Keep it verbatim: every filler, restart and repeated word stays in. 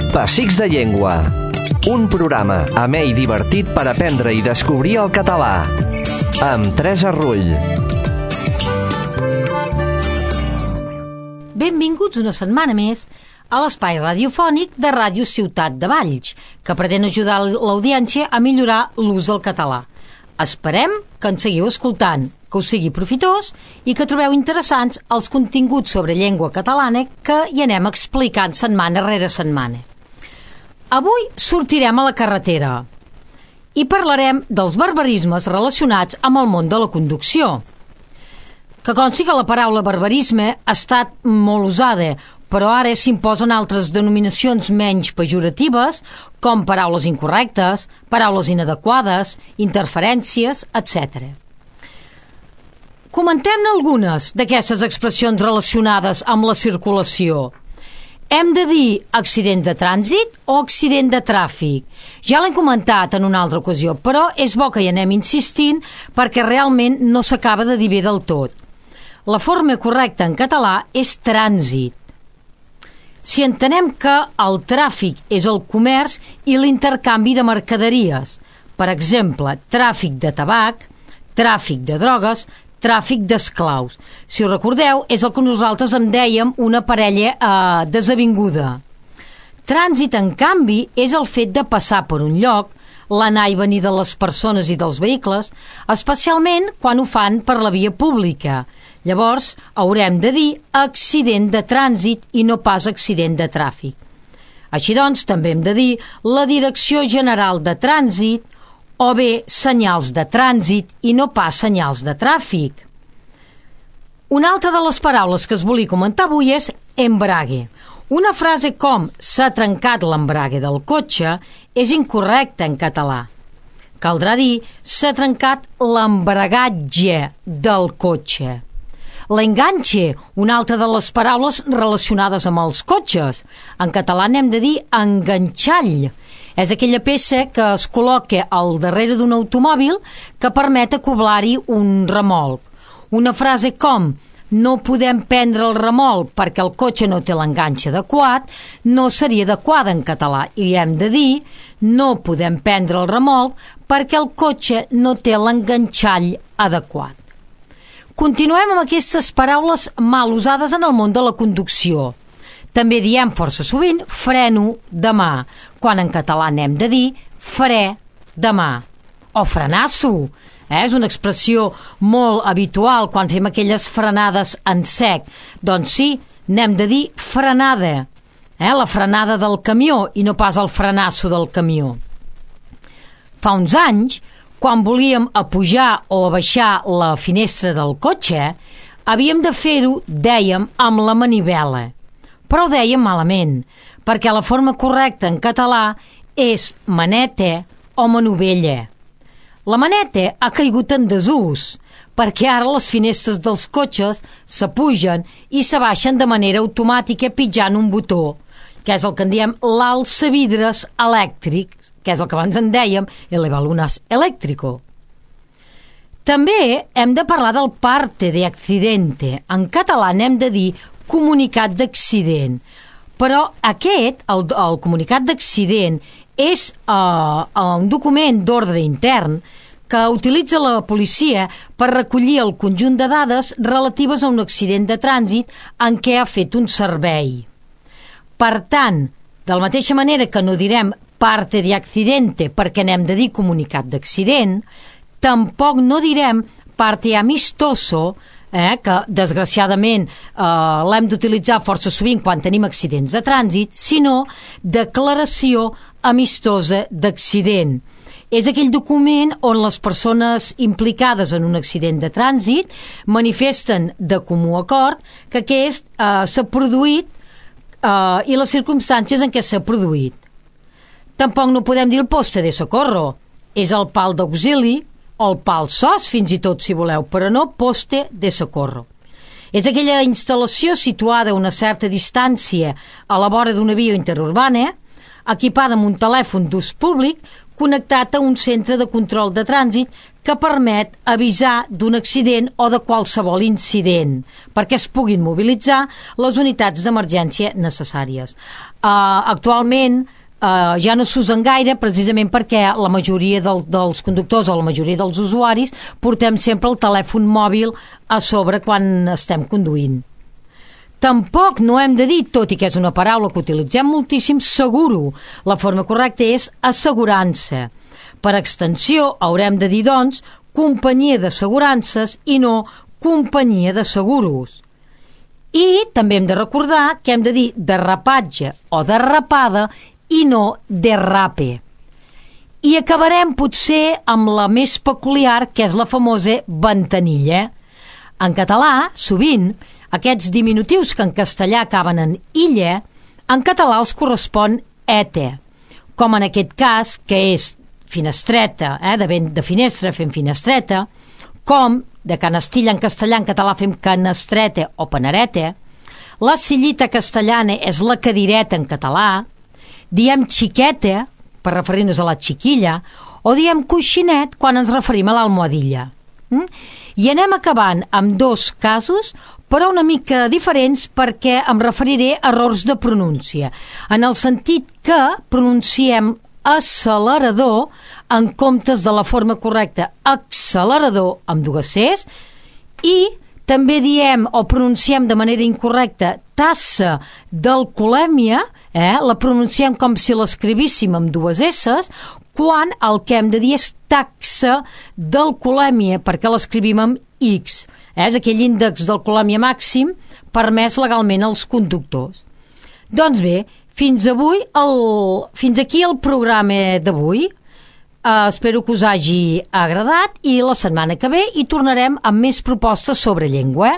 Pessics de Llengua, un programa amè i divertit per aprendre i descobrir el català, amb Teresa Rull. Benvinguts una setmana més a l'espai radiofònic de Ràdio Ciutat de Valls, que pretén ajudar l'audiència a millorar l'ús del català. Esperem que ens seguiu escoltant, que us sigui profitós i que trobeu interessants els continguts sobre llengua catalana que hi anem explicant setmana rere setmana. Avui sortirem a la carretera i parlarem dels barbarismes relacionats amb el món de la conducció. Que consti que la paraula barbarisme ha estat molt usada, però ara s'imposen altres denominacions menys pejoratives, com paraules incorrectes, paraules inadequades, interferències, etcètera. Comentem-ne algunes d'aquestes expressions relacionades amb la circulació. Hem de dir accident de trànsit o accident de tràfic? Ja l'hem comentat en una altra ocasió, però és bo que hi anem insistint perquè realment no s'acaba de dir bé del tot. La forma correcta en català és trànsit. Si entenem que el tràfic és el comerç i l'intercanvi de mercaderies, per exemple, tràfic de tabac, tràfic de drogues, tràfic d'esclaus. Si ho recordeu, és el que nosaltres en dèiem una parella eh, desavinguda. Trànsit, en canvi, és el fet de passar per un lloc, l'anar i venir de les persones i dels vehicles, especialment quan ho fan per la via pública. Llavors, haurem de dir accident de trànsit i no pas accident de tràfic. Així doncs, també hem de dir la Direcció General de Trànsit o bé senyals de trànsit i no pas senyals de tràfic. Una altra de les paraules que es volia comentar avui és embrague. Una frase com s'ha trencat l'embrague del cotxe és incorrecta en català. Caldrà dir s'ha trencat l'embragatge del cotxe. L'enganxe, una altra de les paraules relacionades amb els cotxes. En català n'hem de dir enganxall. És aquella peça que es col·loca al darrere d'un automòbil que permet acoblar-hi un remolc. Una frase com no podem prendre el remolc perquè el cotxe no té l'enganxe adequat no seria adequada en català i hem de dir no podem prendre el remolc perquè el cotxe no té l'enganxall adequat. Continuem amb aquestes paraules mal usades en el món de la conducció. També diem força sovint freno de mà, quan en català n'hem de dir fre de mà. O frenasso, eh? És una expressió molt habitual quan fem aquelles frenades en sec. Doncs sí, n'hem de dir frenada, eh? La frenada del camió i no pas el frenasso del camió. Fa uns anys, quan volíem apujar o abaixar la finestra del cotxe, havíem de fer-ho, dèiem, amb la manivela. Però ho dèiem malament, perquè la forma correcta en català és maneta o manovella. La maneta ha caigut en desús, perquè ara les finestres dels cotxes s'apugen i s'abaixen de manera automàtica pitjant un botó, que és el que en diem l'alçavidres elèctric, que és el que abans en dèiem el balones eléctrico. També hem de parlar del parte de accidente. En català n'hem de dir comunicat d'accident. Però aquest, el, el comunicat d'accident, és uh, un document d'ordre intern que utilitza la policia per recollir el conjunt de dades relatives a un accident de trànsit en què ha fet un servei. Per tant, de la mateixa manera que no direm parte de accidente perquè n'hem de dir comunicat d'accident, tampoc no direm parte amistoso, eh, que desgraciadament eh, l'hem d'utilitzar força sovint quan tenim accidents de trànsit, sinó declaració amistosa d'accident. És aquell document on les persones implicades en un accident de trànsit manifesten de comú acord que aquest eh, s'ha produït eh, i les circumstàncies en què s'ha produït. Tampoc no podem dir el poste de socorro. És el pal d'auxili o el pal S O S, fins i tot, si voleu, però no poste de socorro. És aquella instal·lació situada a una certa distància a la vora d'una via interurbana equipada amb un telèfon d'ús públic connectat a un centre de control de trànsit que permet avisar d'un accident o de qualsevol incident perquè es puguin mobilitzar les unitats d'emergència necessàries. Uh, actualment uh, ja no s'usen gaire precisament perquè la majoria del, dels conductors o la majoria dels usuaris portem sempre el telèfon mòbil a sobre quan estem conduint. Tampoc no hem de dir, tot i que és una paraula que utilitzem moltíssim, seguro. La forma correcta és assegurança. Per extensió, haurem de dir, doncs, companyia d'assegurances i no companyia de seguros. I també hem de recordar que hem de dir derrapatge o derrapada i no derrape. I acabarem potser amb la més peculiar, que és la famosa ventanilla. En català, sovint, aquests diminutius que en castellà acaben en illa, en català els correspon ete, com en aquest cas, que és finestreta, eh, de, ben, de finestra fem finestreta, com de canastilla en castellà, en català fem canestreta o panareta, la sillita castellana és la cadireta en català, diem xiqueta, per referir-nos a la xiquilla, o diem coixinet quan ens referim a l'almohadilla. Mm? I anem acabant amb dos casos, però una mica diferents perquè em referiré a errors de pronúncia, en el sentit que pronunciem accelerador en comptes de la forma correcta accelerador amb dues Cs, i també diem o pronunciem de manera incorrecta tassa d'alcoholèmia, eh? La pronunciem com si l'escrivíssim amb dues S's, quan el que hem de dir és taxa d'alcoholèmia, perquè l'escrivim amb X. És aquell índex d'alcoholèmia màxim permès legalment als conductors. Doncs bé, fins avui el, fins aquí el programa d'avui. Uh, espero que us hagi agradat i la setmana que ve hi tornarem amb més propostes sobre llengua.